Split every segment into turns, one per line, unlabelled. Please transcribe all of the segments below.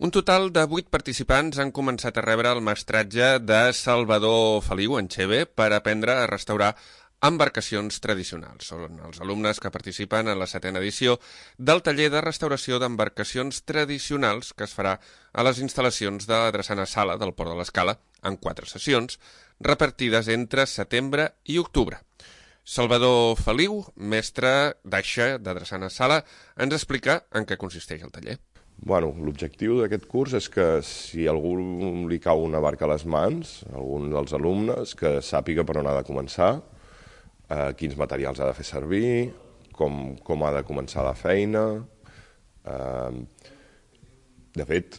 Un total de 8 participants han començat a rebre el mestratge de Salvador Feliu Encheve per aprendre a restaurar embarcacions tradicionals. Són els alumnes que participen en la 7a edició del taller de restauració d'embarcacions tradicionals que es farà a les instal·lacions de la Drassana Sala del Port de l'Escala en 4 sessions, repartides entre setembre i octubre. Salvador Feliu, mestre d'aixa de Drassana Sala, ens explica en què consisteix el taller.
L'objectiu d'aquest curs és que si a algú li cau una barca a les mans, algun dels alumnes, que sàpiga per on ha de començar, quins materials ha de fer servir, com ha de començar la feina. De fet,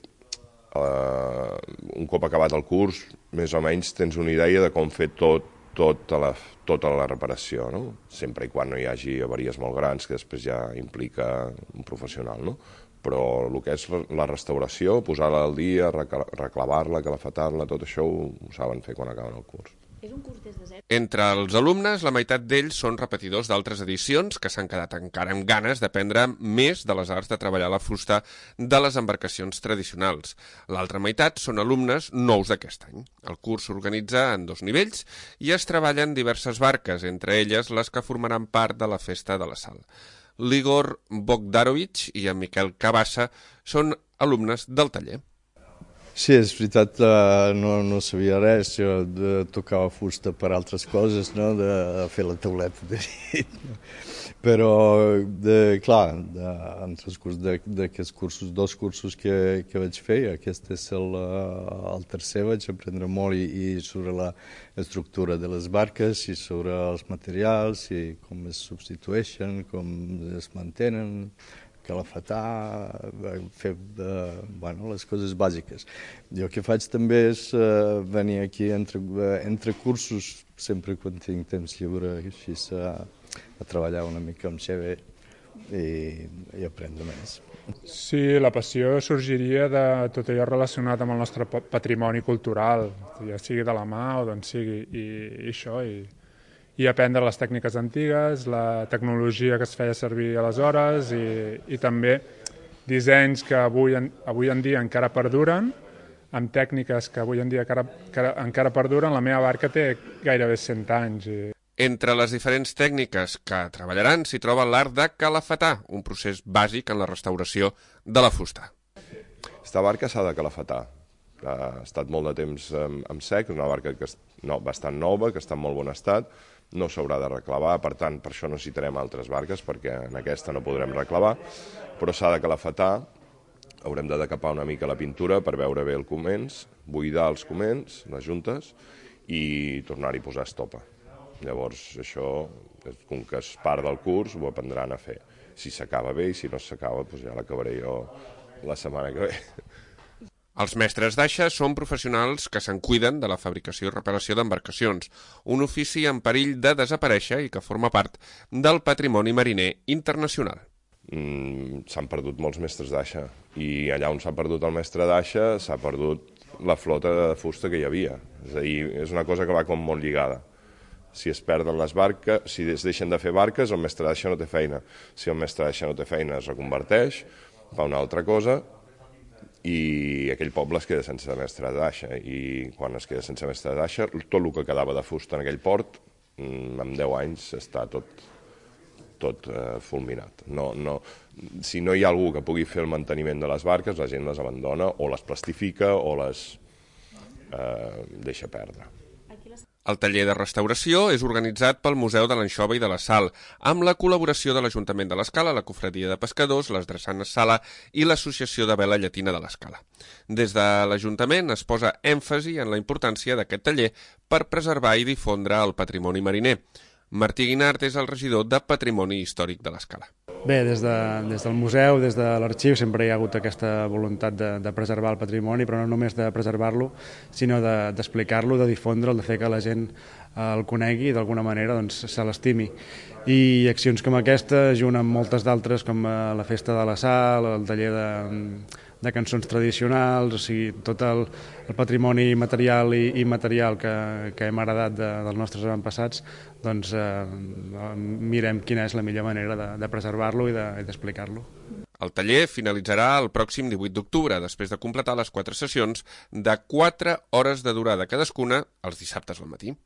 un cop acabat el curs, més o menys tens una idea de com fer tota la reparació, no? Sempre i quan no hi hagi avaries molt grans, que després ja implica un professional, no? Però el que és la restauració, posar-la al dia, reclavar-la, calafetar-la, tot això ho saben fer quan acaben el curs.
És un curs des de zero.
Entre els alumnes, la meitat d'ells són repetidors d'altres edicions que s'han quedat encara amb ganes d'aprendre més de les arts de treballar la fusta de les embarcacions tradicionals. L'altra meitat són alumnes nous d'aquest any. El curs s'organitza en 2 nivells i es treballen diverses barques, entre elles les que formaran part de la Festa de la Sal. L'Igor Bogdarovich i en Miquel Cabassa són alumnes del taller.
Sí, és veritat, no sabia res, jo tocava fusta per altres coses, no? De fer la tauleta de nit. Però, clar, en transcurs d'aquests cursos, 2 cursos que vaig fer, aquest és el tercer, vaig aprendre molt i sobre l'estructura de les barques, i sobre els materials, i com es substitueixen, com es mantenen, calafetar, fer les coses bàsiques. Jo el que faig també és venir aquí entre cursos, sempre quan tinc temps lliure, així a treballar una mica amb Xeve i aprendre més.
Sí, la passió sorgiria de tot allò relacionat amb el nostre patrimoni cultural, ja sigui de la mà o d'on sigui, i això, i aprendre les tècniques antigues, la tecnologia que es feia servir aleshores i també dissenys que avui en dia encara perduren, amb tècniques que avui en dia encara perduren. La meva barca té gairebé 100 anys.
Entre les diferents tècniques que treballaran s'hi troba l'art de calafetar, un procés bàsic en la restauració de la fusta.
Aquesta barca s'ha de calafetar. Ha estat molt de temps en sec, és una barca bastant nova, que està en molt bon estat, no s'haurà de reclavar, per tant, per això necessitarem altres barques, perquè en aquesta no podrem reclavar, però s'ha de calafetar, haurem de decapar una mica la pintura per veure bé el comens, buidar els comens, les juntes, i tornar-hi a posar estopa. Llavors, això, com que és part del curs, ho aprendran a fer. Si s'acaba bé i si no s'acaba, doncs ja l'acabaré jo la setmana que ve.
Els mestres d'aixa són professionals que se'n cuiden de la fabricació i reparació d'embarcacions, un ofici en perill de desaparèixer i que forma part del patrimoni mariner internacional.
S'han perdut molts mestres d'aixa i allà on s'ha perdut el mestre d'aixa s'ha perdut la flota de fusta que hi havia. És a dir, és una cosa que va com molt lligada. Si es perden les barques, si es deixen de fer barques, el mestre d'aixa no té feina. Si el mestre d'aixa no té feina, es reconverteix, fa una altra cosa, i aquell poble es queda sense mestre d'aixa. I quan es queda sense mestre d'aixa, tot el que quedava de fusta en aquell port, en 10 anys està tot fulminat. Si no hi ha algú que pugui fer el manteniment de les barques, la gent les abandona o les plastifica o les deixa perdre.
El taller de restauració és organitzat pel Museu de l'Anxova i de la Sal, amb la col·laboració de l'Ajuntament de l'Escala, la Cofradia de Pescadors, les Drassanes Sala i l'Associació de Vela Llatina de l'Escala. Des de l'Ajuntament es posa èmfasi en la importància d'aquest taller per preservar i difondre el patrimoni mariner. Martí Guinart és el regidor de Patrimoni Històric de l'Escala.
Bé, des del museu, des de l'arxiu, sempre hi ha hagut aquesta voluntat de preservar el patrimoni, però no només de preservar-lo, sinó d'explicar-lo, de difondre'l, de fer que la gent el conegui i d'alguna manera se l'estimi. I accions com aquesta, junt amb moltes d'altres, com la Festa de la Sal, el taller de cançons tradicionals, o sigui, tot el patrimoni material i immaterial que hem heredat dels nostres avantpassats, doncs mirem quina és la millor manera de preservar-lo i d'explicar-lo.
El taller finalitzarà el pròxim 18 d'octubre, després de completar les 4 sessions de 4 hores de durada cadascuna els dissabtes al matí.